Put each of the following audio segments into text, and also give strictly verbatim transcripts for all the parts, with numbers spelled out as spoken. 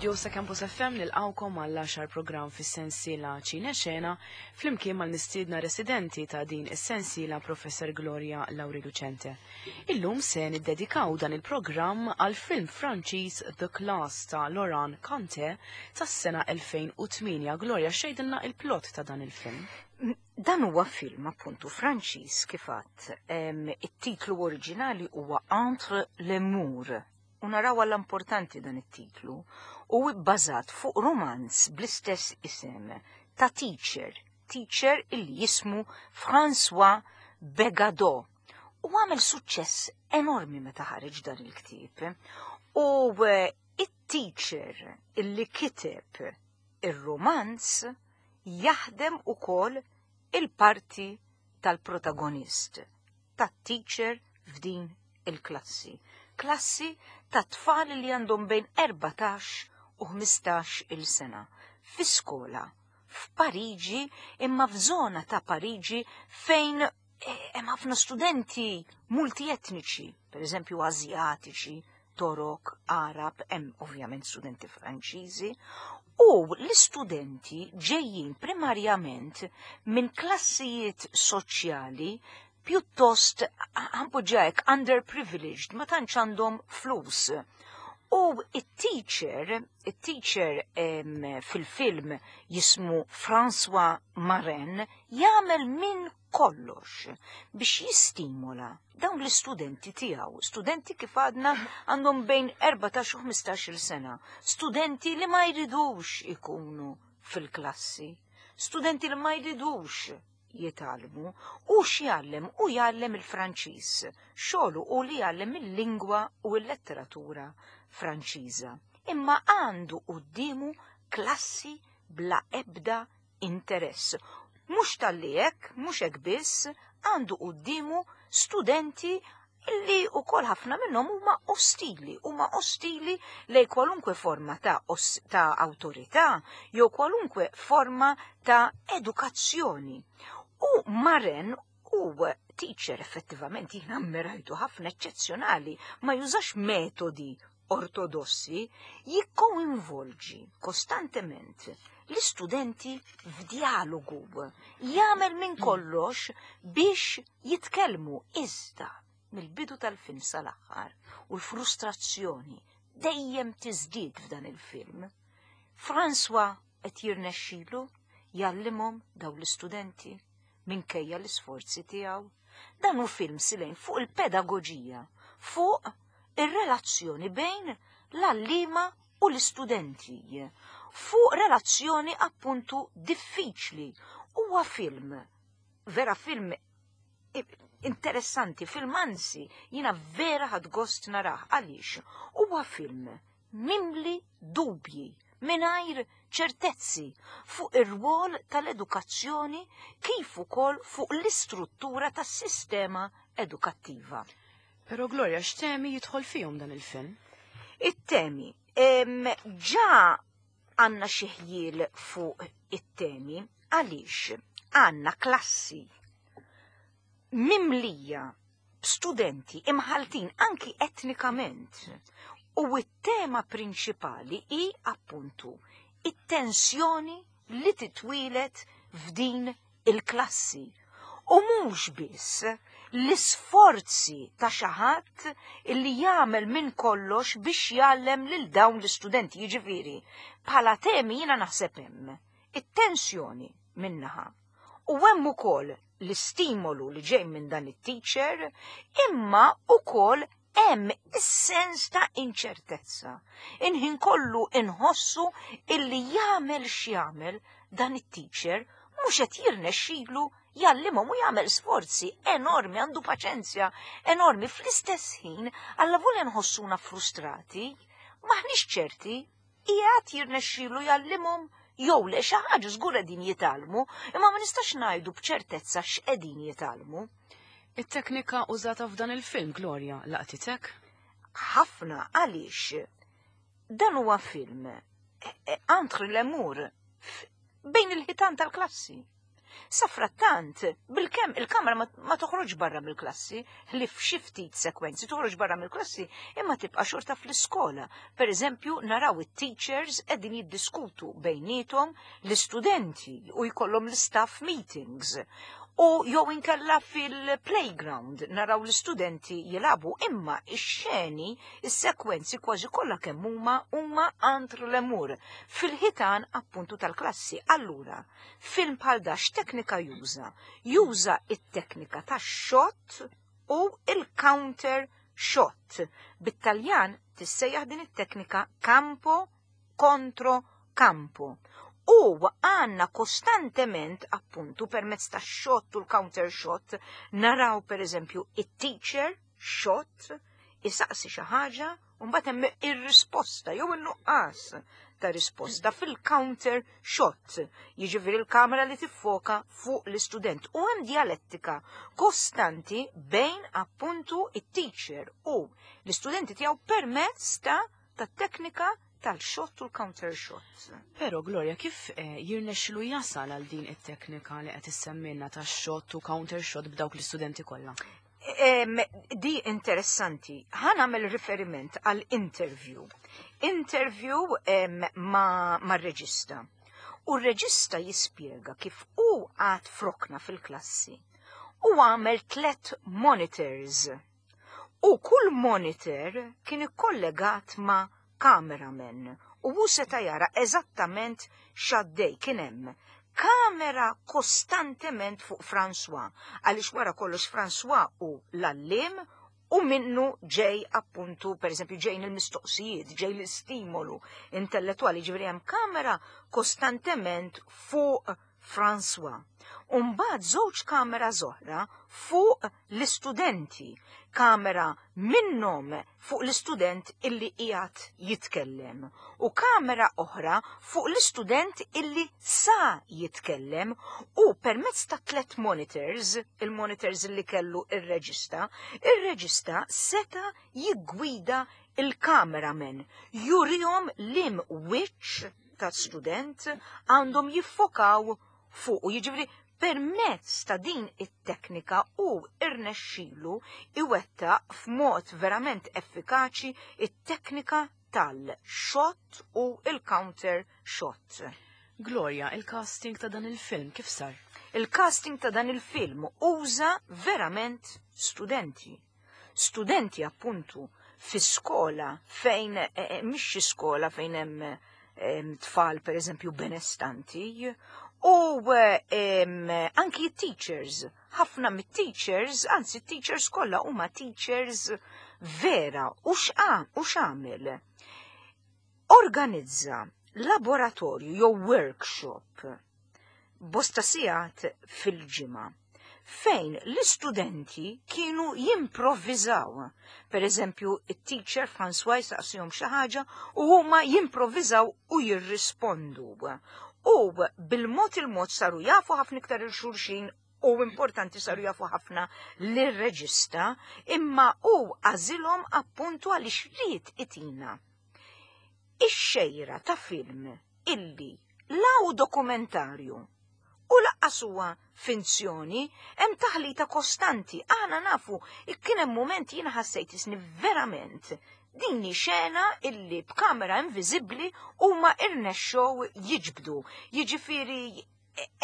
Fl-istudio sa' Campus F M nilqawkom għall-għaxar programm fis-sensiela Ċine Xena flimkien mal-mistiedna residenti ta' din is-sensiela, Professor Gloria Lauri Lucente. Illum se niddedikaw dan il-programm għal film Franċiż The Class ta' Laurent Cantet tas-sena elfejn u tmienja. Gloria, x'tgħidilna il-plot ta' dan il-film? Dan huwa film appuntu Franċiż kif għedt. It-titlu oriġinali huwa Entre les Murs. U naraw l-importanti dan it-titlu u bbażat fuq romanz bl-istess isem ta' teacher, teacher illi jismu François Begado. U għamel suċċess enormi meta ħareġ dan il-ktieb. U eh, it-teacher illi kiteb ir-romanz jaħdem ukoll il-parti tal-protagonist, tat-teacher f'din il-klassi. Klassi ta' tfal li għandhom bejn erbatax u ħmistax il-sena. Fi skola, f'Pariġi, imma f'żona ta' Pariġi fejn eh, hemm ħafna studenti multietniċi, per eżempju Azjatiċi, Torok, Arab, hemm ovvjament studenti Franċiżi, u l-istudenti ġejjin primarjament minn klassijiet soċjali pjuttost, ħa npoġġiha, underprivileged, ma tantx għandhom flus. U it-teacher, it-teacher fil-film jismu François Marin, jagħmel minn kollox biex jistimola dawn l-istudenti tiegħu, studenti kif għadna għandhom bejn erbatax u ħmistax-il sena, studenti li ma jridux ikunu fil-klassi, studenti li ma jridux jitgħallmu. U x'jgħallem? U jgħallem il-Franċiż. Xogħlu u li jgħallem il-lingwa u l-letteratura Franċiża. Imma għandu quddiemu klassi bla ebda interess. Mhux talli hekk, mhux hekk biss, għandu quddiemu studenti illi ukoll ħafna minnhom huma ostili, huma ostili lej kwalunkwe forma ta', os, ta' awtorità jew kwalunkwe forma ta' edukazzjoni. U Maren u teacher effettivament jina ammirajtu ħafna, eċċezzjonali, ma jużax metodi ortodossi, jikkoinvolġi kostantement l-istudenti f'dialogu, jagħmel minn kollox biex jitkellmu. Iżda mill-bidu tal-film sal-aħħar u l-frustrazzjoni dejjem tiżdied f'dan il-film. François qed jirnexxilu jgħallimhom daw l-istudenti minkejja l-isforzi tiegħu? Dan hu film silejn fuq il-pedagoġija, fuq ir-relazzjoni bejn l-għalliema u l-istudenti, fuq relazzjoni appuntu diffiċli. Huwa film, vera film interessanti, film anzi, jina vera ħadt gost narah. Għaliex? Huwa film mimli dubji, mingħajr ċertezzi fuq ir-rwol tal-edukazzjoni kif ukoll fuq l-istruttura tas-sistema edukattiva. Pero Gloria, x'temi jidħol fihom dan il-film? It-temi. Ġa għandna xi ħjiel fuq it-temi għaliex għandna klassi mimlija studenti imħaltin anki etnikament. U it-tema prinċipali hi appuntu it-tensjoni li titwieled f'din il-klassi. U mhux biss l-isforzi ta' xi ħadd illi jagħmel minn kollox biex jgħallem lil dawn l-istudenti. Jiġifieri, bħala temi jiena naħseb hemm it-tensjoni min-naħa. U hemm ukoll l-istimolu li ġej minn dan it-teacher, imma ukoll hemm is-sens ta' inċertezza. Il-ħin kollu inħossu illi jagħmel x'jagħmel dan it-teacher mhux qed jirnexxilu jgħallimhom u jagħmel sforzi enormi, għandu paċenzja enormi. Fl-istess ħin, allavolja nħossuna frustrati, maħniex ċerti qiegħed jirnexxilu jgħallimhom jew le. Xi ħaġa żgur qegħdin jitgħallmu, imma ma nistax ngħidu b'ċertezza x'qegħdin jitgħallmu. It-teknika użata f'dan il-film, Gloria, laqtitek? Ħafna, għaliex dan huwa film eh, eh, entre les murs, bejn il-ħitan tal-klassi. Safrattant, bilkemm il-kamera ma, ma toħroġ barra mill-klassi, li f'xi ftit sekwenzi toħroġ barra mill-klassi, imma tibqa' xorta fl-iskola. Per eżempju, naraw it-teachers qegħdin jiddiskutu bejniethom l-istudenti u jkollhom l-staff meetings. U jew inkella fil-playground naraw l-istudenti jilagħbu, imma ix-xeni, is-sekwenzi kważi kollha kemm huma huma entre les murs, fil-ħitan appuntu tal-klassi. Allura, film bħal da x'teknika juża? Juża it-teknika tax-shot u il-counter shot. Bit-Taljan tissejjaħ din it-teknika campo contro campo. U għanna kostantement, appuntu, permezz ta' shot u l-counter shot, naraw per eżempju it-teacher shot, isaqsi xi ħaġa, u mbagħad hemm ir-risposta jew in-nuqqas ta' risposta fil-counter shot. Jiġifieri l-kamera li tiffoka fuq l-istudent. U hemm dialettika kostanti bejn appuntu it-teacher u l-istudenti tiegħu permezz ta' ta' teknika tal-shot u l-counter shot. Pero Gloria, kif eh, jirnexxilu jasal għal din it-teknika li qed issemmilna ta' shot u counter shot b'dawk l-istudenti kollha? Em, di interessanti. Ħa nagħmel riferiment għal interview. Interview em, ma, ma reġista. U r-reġista jispjega kif u qagħad f'rokna fil-klassi u għamel tlet monitors. U kull monitor kien ikkollegat ma' cameraman u hu seta' jara eżattament x'għaddej. Kien hemm kamera kostantement fuq François, għaliex wara kollox François hu l-għalliem u minnu ġej appuntu, per eżempju, ġejn il-mistoqsijiet, ġej l-istimolu intellettuali, ġifieri hemm kamera kostantement fuq François. Umbagħad żewġ kamera oħra fuq l-istudenti, kamera minnhom fuq l-istudent illi qiegħed jitkellem u kamera oħra fuq l-istudent illi sa jitkellem, u permezz ta' tlet monitors, il-monitors illi kellu ir-reġista, ir-reġista seta' jiggwida il-cameraman, jurihom lim wiċċ ta' student għandhom jiffokaw fuq, u jiġifieri permezz ta' din it-teknika u irnexxilu iwettaq f'mod verament effikaċi it-teknika tal-shot u il-counter shot. Gloria, il-casting ta' dan il-film kif sar? Il-casting ta' dan il-film uża verament studenti. Studenti appuntu fi skola fejn, eh, eh, mhix xi skola fejn hemm, eh, tfal per eżempju benestanti, u, em, anki teachers, ħafna mit-teachers, anzi teachers kollha huma teachers vera. U x'a, u x'għamel? Organizza laboratorju jew workshop bosta sigħat fil-ġimgħa fejn l-istudenti kienu jimprovviżaw. Per eżempju, it-teacher François jistaqsihom xi ħaġa u huma jimprovviżaw u jirrispondu. U bil-mod il-mod saru jafu ħafna iktar il-xulxin, u importanti saru jafu ħafna lir-reġista, imma u għażilhom appuntu għaliex ried itina ix-xejra ta' film illi la hu dokumentarju u lanqas huwa finzjoni, hemm taħlita kostanti. Aħna nafu, kien hemm mument jiena ħassejt isni verament din hi xena illi b'kamera inviżibbli huma irnexxew jiġbdu. Jiġifieri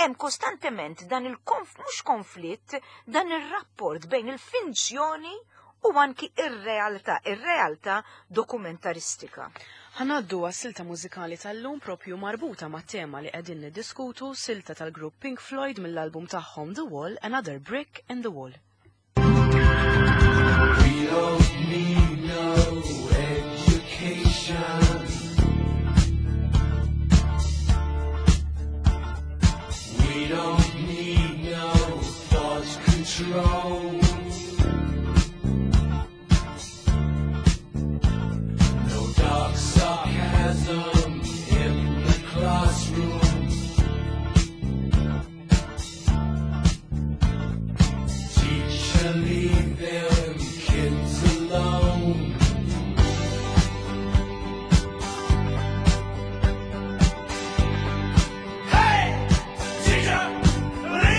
hemm kostantement dan il-konf, mhux konflitt, dan ir-rapport bejn il-finzjoni u anki ir-realtà, ir-realtà dokumentaristika. Ħa ngħaddu għas-silta mużikali tal-lum propju marbuta ma' tema li qegħdin niddiskutu, silta tal-grupp Pink Floyd mill-album tagħhom The Wall, Another Brick in the Wall. We don't need no education. We don't need no thought control. No dark sarcasm in the classroom. Teacher, leave them kids alone. Hey! Teacher, leave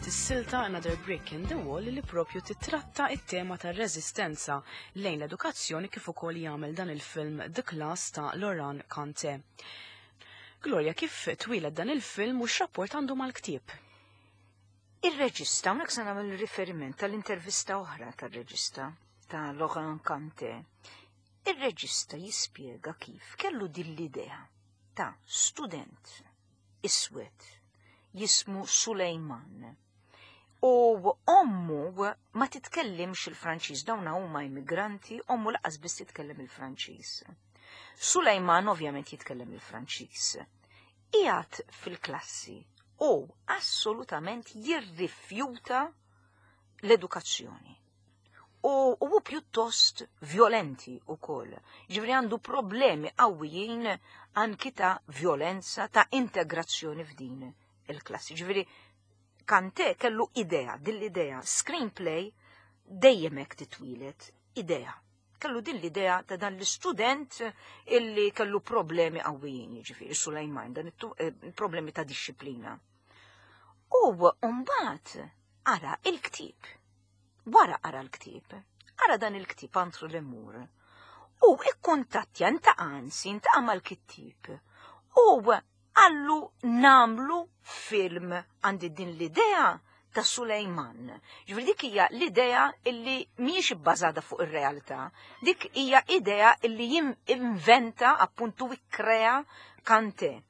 kienet is-silta Another Brick in the Wall li propju titratta it-tema tar-reżistenza lejn l-edukazzjoni kif ukoll jagħmel dan il-film The Class ta' Laurent Cantet. Gloria, kif twieled dan il-film u x'rapport għandu mal-ktieb? Ir-reġista, hawnhekk se nagħmel riferiment tal-intervista oħra tar-reġista ta' Laurent Cantet. Ir-reġista jispjega kif kellu din l-idea ta' student iswed jismu Sulejman. U ommu ma titkellimx il-Franċiż, dawna huma immigranti, ommu lanqas biss titkellem il-Franċiż. Sulejman ovvjament jitkellem il-Franċiż. Qiegħed fil-klassi u assolutament jirrifjuta l-edukazzjoni. U hu pjuttost violenti u koll. Ġifieri għandu problemi qawwijin anki ta' violenza, ta' integrazzjoni f'din il-klassi. Ġifieri Cantet kellu idea, din l-idea, screenplay dejjem hekk titwieled idea. Kellu din l-idea ta' dan l-istudent illi kellu problemi qawwijin, ġifieri Sulejman, dan eh, problemi ta' disċiplina. U mbagħad qara il-ktieb. Wara qara l-ktieb, qara dan il-ktieb Entre les murs. U ikkuntattja ltaqa' anzi, ltaqa' mal-kittieb. U qallu nagħmlu film, għandi din l-idea ta' Sulejman. Ġifieri dik hija l-idea illi mhijiex ibbażata fuq ir-realtà, dik hija idea illi inventa appuntu ikkrea Cantet.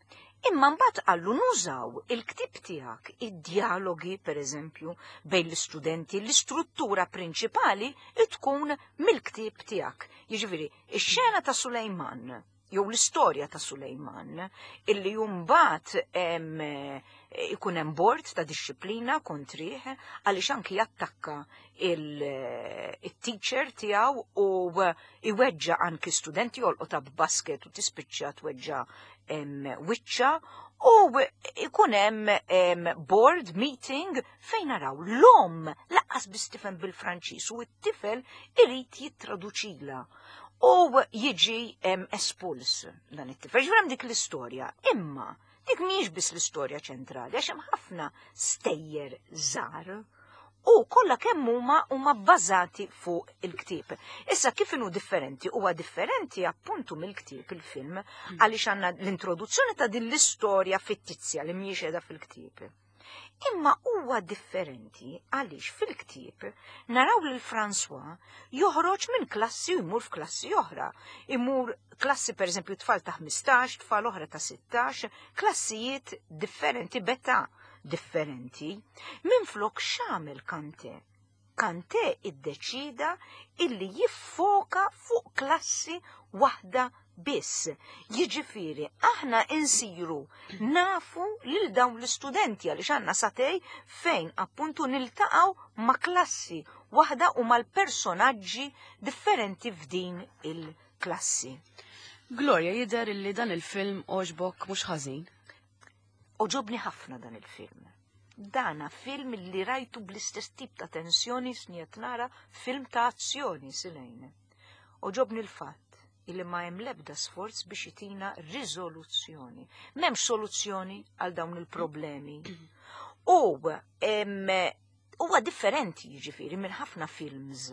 Imma mbagħad qallu nużaw il-ktieb tiegħek, id-dialogi pereżempju bejn l-istudenti, l-istruttura prinċipali tkun mill-ktieb tiegħek. Jiġifieri, ix-xena ta' Sulejman jew l-istorja ta' Sulejman illi mbagħad ikun hemm bord ta' disċiplina kontrih għaliex anki jattakka il-teacher tiegħu u iweġġa anki studenti, jolqotha b'basket u tispiċċa tweġġa wiċċa, u ikun hemm board meeting fejn naraw l-om lanqas biss tifhem bil-Franċiż u t-tifel irid jittraduċila u jiġi espuls dan it-tifel. Ġifieri dik l-istorja. Imma dik mhijiex biss l-istorja ċentrali, għax hemm ħafna stejjer żgħar u kollha kemm huma huma bbażati fuq il-ktieb. Issa kif inhu differenti? Huwa differenti appuntu mill-ktieb il-film għaliex għandna l-introduzzjoni ta' din l-istorja fittizja li mhijiex qiegħda fil-ktieb. Imma huwa differenti għaliex fil-ktieb naraw lil François joħroġ minn klassi u jmur f'klassi oħra. Imur klassi per eżempju tfal ta' ħmistax, tfal oħra ta' sittax, klassijiet differenti, b'età differenti. Minflok x'għamel Cantet? Cantet iddeċida illi jiffoka fuq klassi waħda biss. Jiġifieri aħna insiru nafu lil dawn l-istudenti għaliex għandna sagħtejn fejn appuntu niltaqgħu ma' klassi waħda u mal-personaġġi differenti f'din il-klassi. Gloria, jidher illi dan il-film għoġbok mhux ħażin. Għoġobni ħafna dan il-film. Dana film li rajtu bl-istess tip ta' tensjoni sniet nara film ta' azzjoni silejn. Għoġobni l-fatt illi ma hemm lebda sforz biex jitina riżoluzzjoni. M'hemmx soluzzjoni għal dawn il-problemi. U huwa differenti jiġifieri minn ħafna films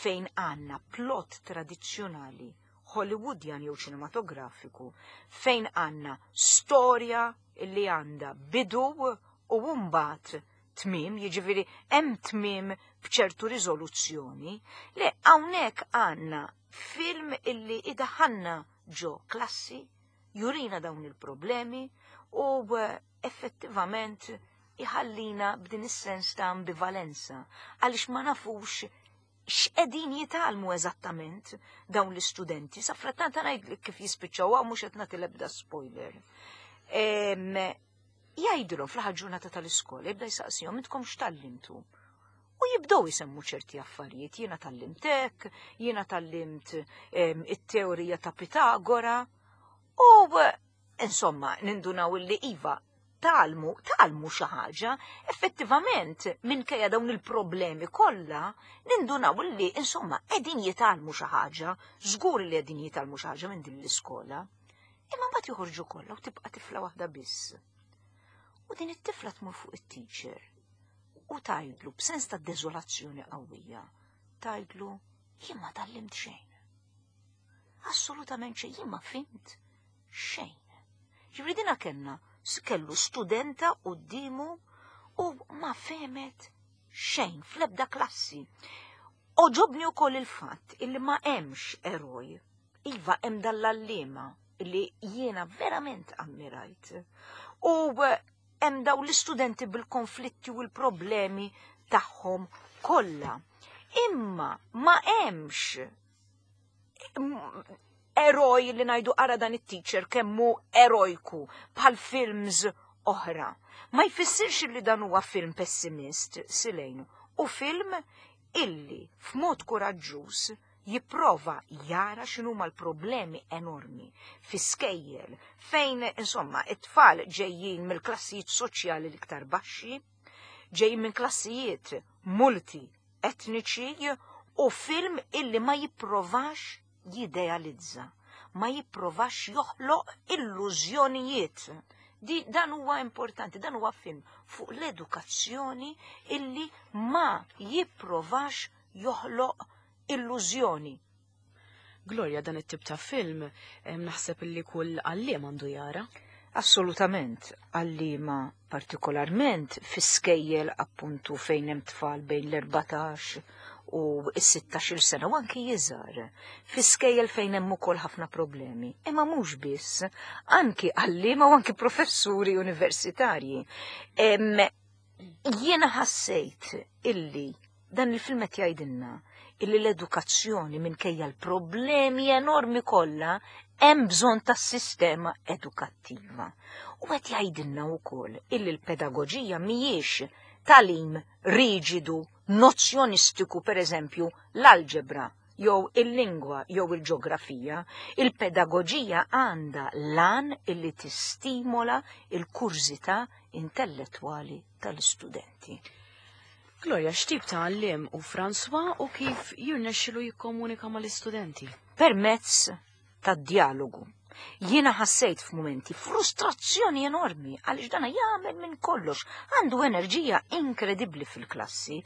fejn għandna plot tradizzjonali Hollywoodian jew ċinematografiku fejn għandna storja illi għandha bidu u mbagħad tmiem, jiġifieri hemm tmiem b'ċertu riżoluzzjoni. Le, hawnhekk għandna film illi idaħanna ġo klassi, jurina dawn il-problemi u effettivament iħallina b'din is-sens ta' ambivalenza għaliex ma nafux x'qegħdin jitgħallmu eżattament dawn l-istudenti. Sa frattant ngħidlek kif jispiċċaw, mhux qed nagħti l-ebda spoiler. Jgħidulhom fl-aħħar ġurnata tal-iskola, jibda jsaqsihom: "Intkom x'tgħallimtu?" U jibdew jisemmu ċerti affarijiet, "Jiena tgħallimt hekk, jiena tgħallimt it-teorija ta' Pitagora." U insomma, nindunaw li iva, tgħallmu, tgħallmu xi ħaġa, effettivament minkejja dawn il-problemi kollha, nindunaw li insomma qegħdin jitgħallmu xi ħaġa, żgur li qegħdin jitgħallmu xi ħaġa minn din l-iskola. Imma mbagħad joħorġu kollha u tibqa' tifla waħda biss. U din it-tifla tmur fuq it-teacher. u tgħidlu b'sens ta' deżolazzjoni qawwija. Tgħidlu jien ma tgħallimt xejn. Assolutament xejn, jien ma fhimt xejn. Ġifieri dina kellna kellu studenta quddiemu u ma fehmet xejn fl-ebda klassi. Għoġobni wkoll il-fatt illi ma hemmx eroj. Iva hemm dal-għalliema li jiena verament ammirajt. U hemm daw l-istudenti bil-konflitti u l-problemi tagħhom kollha. Imma ma hemmx eroj li ngħidu ara dan it-teacher kemmu erojku bħal films oħra. Ma jfissirx li dan huwa film pessimist, Silejn, u film illi f'mod kuraġġuż jipprova jara x'inhuma l-problemi enormi fi skejjel fejn insomma it-tfal ġejjin mill-klassijiet soċjali l-iktar baxxi, ġejjin minn klassijiet multi etniċi u film illi ma jipprovax jidealizza, ma jipprovax joħloq illużjonijiet. Di, dan huwa importanti, dan huwa film fuq l-edukazzjoni illi ma jipprovax joħloq illużjoni. Gloria, dan it-tip ta' film naħseb illi kull għalliem għandu jara. Assolutament, għalliema partikolarment fi skejjel appuntu fejn hemm tfal bejn l-erbatax u s-sittax-il sena u anki iżgħar, fi skejjel fejn hemm ukoll ħafna problemi. Imma mhux biss, anki għalliema u anki professuri universitarji. Jiena ħassejt illi dan il-film qed jgħidilna illi l-edukazzjoni minkejja l-problemi enormi kollha hemm bżonn tas-sistema edukattiva. U qed jgħidilna wkoll illi l-pedagoġija mhijiex tagħlim riġidu, nozzjonistiku, per eżempju, l-alġebra, jew il-lingwa, jew il-ġeografija. Il-pedagoġija għandha l-għan illi tistimola il-kurżità intellettwali tal-istudenti. Gloria, x'tip ta' għalliem hu François u kif jirnexxilu jikkomunika mal-istudenti? Permezz tad-dialogu. Jiena ħassejt f'mumenti frustrazzjoni enormi għaliex dana jagħmel minn kollox, għandu enerġija inkredibbli fil-klassi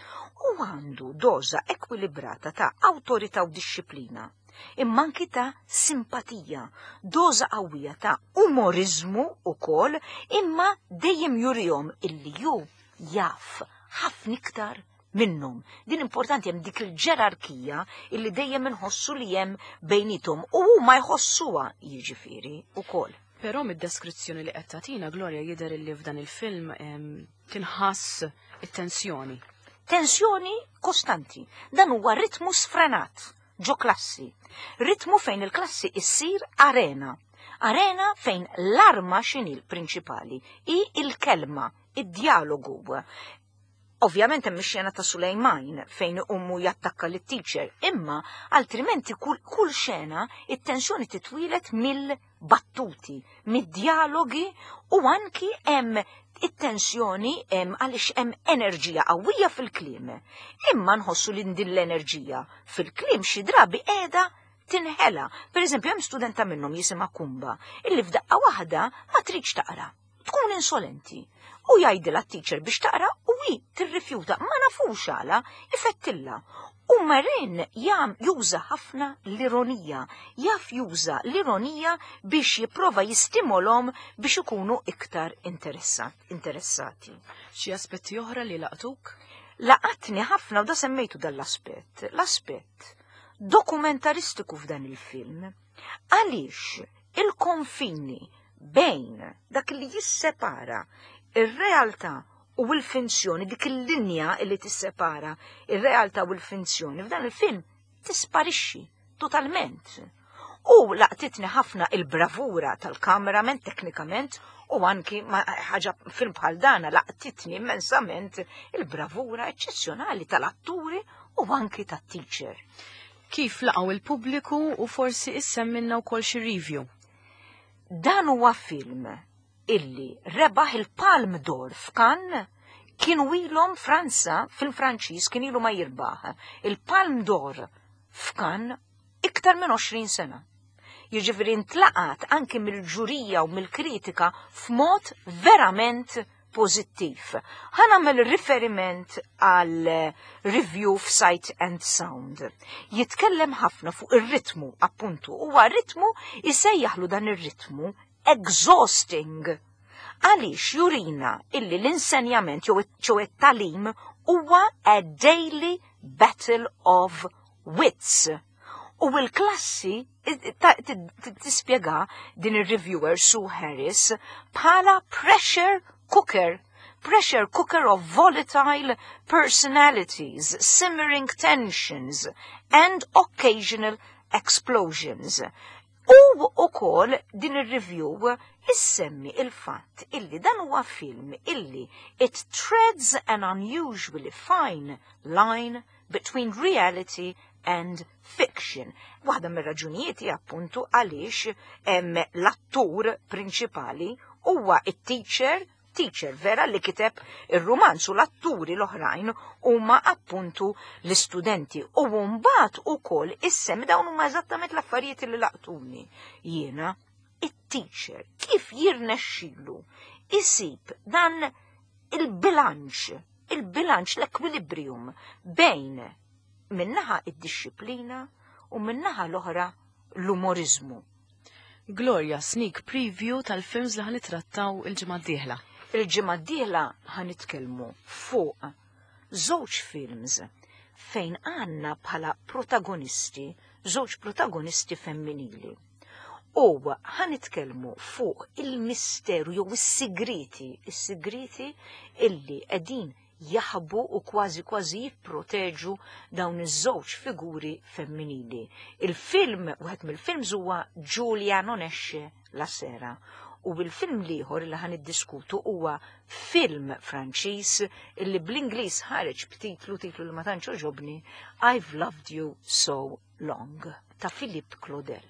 u għandu doża ekwilibrata ta' awtorità u dixxiplina, imma anki ta' simpatija, doża qawwija ta' umorizmu ukoll, imma dejjem jurihom illi ju jaf ħafna iktar minnhom. Din importanti, hemm dik il-ġerarkija illi dejjem inħossu li hemm bejniethom u huma jħossuha jiġifieri ukoll. Però mid-deskrizzjoni li qed tagħtina Gloria jidher illi f'dan il-film tinħass it-tensjoni. Tensjoni kostanti. Dan huwa ritmu sfrenat ġo klassi. Ritmu fejn il-klassi issir arena. Arena fejn l-arma x'inhi l-prinċipali hi il-kelma, id-dialogu. Ovvjament hemm ix-xena ta' Sulejman fejn ummu jattakka lit-teacher, imma altrimenti kull, kull xena it-tensjoni titwilet mill-battuti, mid-dialogi u anki hemm it-tensjoni hemm għaliex hemm enerġija qawwija fil-kliem. Imma nħossu li din l-enerġija fil-kliem xi drabi qiegħda tinħela. Per eżempju, hemm studenta minnhom jisimha Kumba, illi f'daqqa waħda ma tridx taqra, tkun insolenti. U jgħidilha t-teacher biex taqra u hi tirrifjuta, ma nafux għala, ifettilla. U Marin jam juża ħafna l-ironija, jaf juża l-ironija biex jipprova jistimolhom biex ikunu iktar interessati. Xi aspetti oħra li laqtuk? Laqatni ħafna u da semmejtu dal-aspett, l-aspett dokumentaristiku f'dan il-film. Għaliex il-konfini bejn dak li jissepara ir-realtà u l-finzjoni, dik il-linja li tissepara ir-realtà u l-finzjoni f'dan il-film tisparixxi totalment. U laqtitni ħafna il-bravura tal-kameraman teknikament u anki ħaġa film bħal dana laqtitni immensament il-bravura eċċezzjonali tal-atturi u anki tat-teacher. Kif laqgħu il-pubbliku u forsi issemminna wkoll xi review? Dan huwa film illi rebaħ il-Palm d'Or f'Cannes, kienu ilhom Franza, film Franċiż kien ilu ma jirbaħ il-Palm d'Or f'Cannes iktar minn għoxrin sena. Jiġifieri ntlaqat anki mill-ġurija u mill-kritika f'mod verament pożittiv. Ħa nagħmel riferiment għal review f'Sight and Sound. Jitkellem ħafna fuq ir-ritmu, appuntu, huwa ritmu isejjaħlu dan ir-ritmu exhausting. Għaliex jurina illi l-insenjament jew it-tagħlim huwa a daily battle of wits. U l-klassi tispjega din ir-reviewer Sue Harris bħala pressure cooker pressure cooker of volatile personalities, simmering tensions and occasional explosions. U ukoll din ir-review issemmi il-fatt illi dan huwa film illi it treads an unusually fine line between reality and fiction. Waħda mir-raġunijiet appuntu għaliex hemm l-attur prinċipali huwa it-teacher teacher vera li kiteb ir-rumanz u l-atturi l-oħrajn huma appuntu l-istudenti. U mbagħad ukoll issemmi dawn huma eżattament l-affarijiet li laqtuni. Jiena it-teacher kif jirnexxilu isib dan il-bilanċ, il-bilanċ l-equilibrium bejn min-naħa id-disciplina u min-naħa l-oħra l-umorizmu. Gloria, sneak preview tal-films li ħa nittrattaw il-ġimgħa d-dieħla. Il-ġimgħa d-dieħla ħa nitkellmu fuq żewġ films fejn għandna bħala protagonisti, żewġ protagonisti femminili. U ħa nitkellmu fuq il-misteru jew is-sigriti, is-sigriti illi qegħdin jaħbu u kważi kważi jipproteġu dawn iż-żewġ figuri femminili. Il-film, wieħed mill-films huwa Giulia non esce la sera. U bil-film l-ieħor li ħa niddiskutu huwa film Franċiż illi bl-Ingliż ħareġ b'titlu titlu li ma tantx għoġobni I've Loved You So Long ta' Philippe Claudel.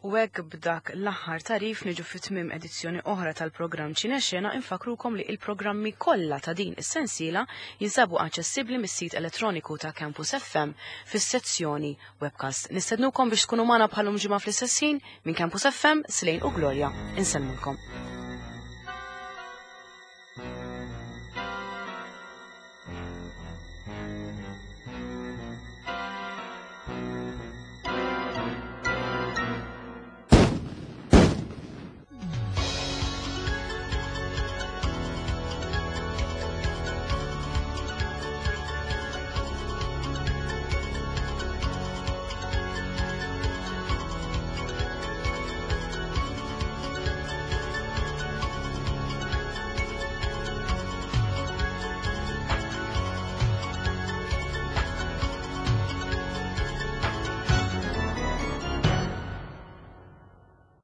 U hekk b'dak l-aħħar tarif niġu fi tmiem edizzjoni oħra tal-programm Ċinexena infakrukom li il-programmi kollha ta' din is-sensiela jinsabu aċċessibbli mis-sit elettroniku ta' Campus FM fis-sezzjoni webcast. Nistednukom biex tkunu magħna bħal-lum ġimgħa fl-istess ħin minn Campus FM, Slane u Gloria. Insellmulkom.